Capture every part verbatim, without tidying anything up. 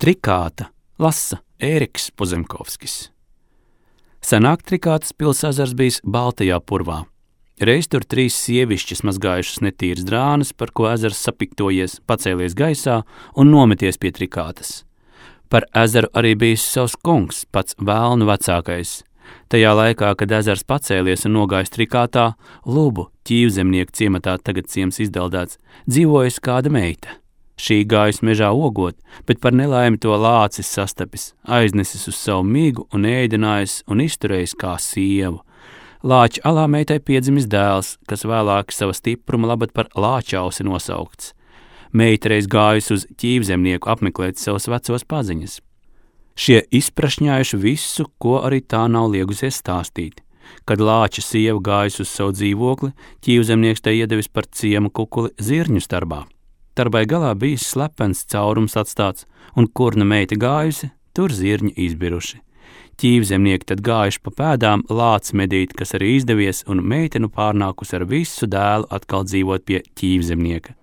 Trikāta lasa Ēriks Pozemkovskis. Senāk Trikātas pils ezers bijis Baltajā purvā. Reiz tur trīs sievišķis mazgājušas netīras drānas, par ko ezers sapiktojies, pacēlies gaisā un nometies pie Trikātas. Par ezeru arī bijis savs kungs, pats vēlnu vecākais. Tajā laikā, kad ezers pacēlies un nogājis Trikātā, Lubu, ķīvzemnieku ciematā tagad ciems izdeldēts, dzīvojas kāda meita. Šī gājas mežā ogot, bet par nelaimi to lācis sastapis, aiznesis uz savu migu un ēdinājis un izturējis kā sievu. Lāča alā meitai piedzimis dēls, kas vēlāk sava stipruma labad par Lāčausi nosaukts. Meita reiz gājusi uz ķīvzemnieku apmeklēt savus vecos paziņas. Šie izprašņājuši visu, ko arī tā nav liegusies stāstīt. Kad Lāča sieva gājusi uz savu dzīvokli, ķīvzemnieks tai iedevis par ciemu kukuli zirņu starbā. Tarbai galā bijis slepens caurums atstāts, un kur nu meita gājusi, tur zirņi izbiruši. Ķīvzemnieki tad gājuši pa pēdām lāc medīt, kas arī izdevies, un meitenu pārnākus ar visu dēlu atkal dzīvot pie ķīvzemnieka.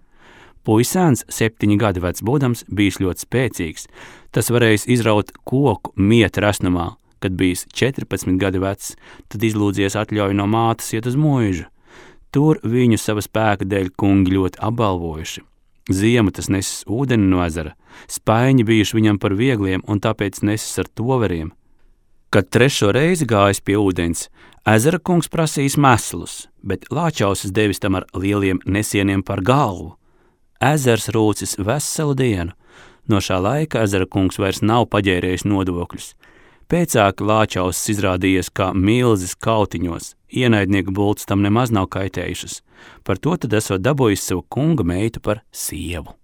Puisēns, septiņi gadi vecs būdams, bijis ļoti spēcīgs. Tas varējis izraut koku mieta resnumā. Kad bijis četrpadsmit gadi vecs, tad izlūdzies atļauju no mātes iet uz mūžu. Tur viņu sava spēka dēļ kungi ļoti apbalvojuši. Ziemu tas nesis ūdeni no ezera, spaiņi bijuši viņam par viegliem un tāpēc nesis ar toveriem. Kad trešo reizi gājis pie ūdens, ezera kungs prasījis meslus, bet Lāčausis devis tam ar lieliem nesieniem par galvu. Ezers rūcis veselu dienu. No šā laika ezera kungs vairs nav paģērējis nodokļus. Pēcāk Lāčausis izrādījies kā milzis kautiņos, ienaidnieku bultas tam nemaz nav kaitējušas. Par to tad esot dabūjis savu kunga meitu par sievu.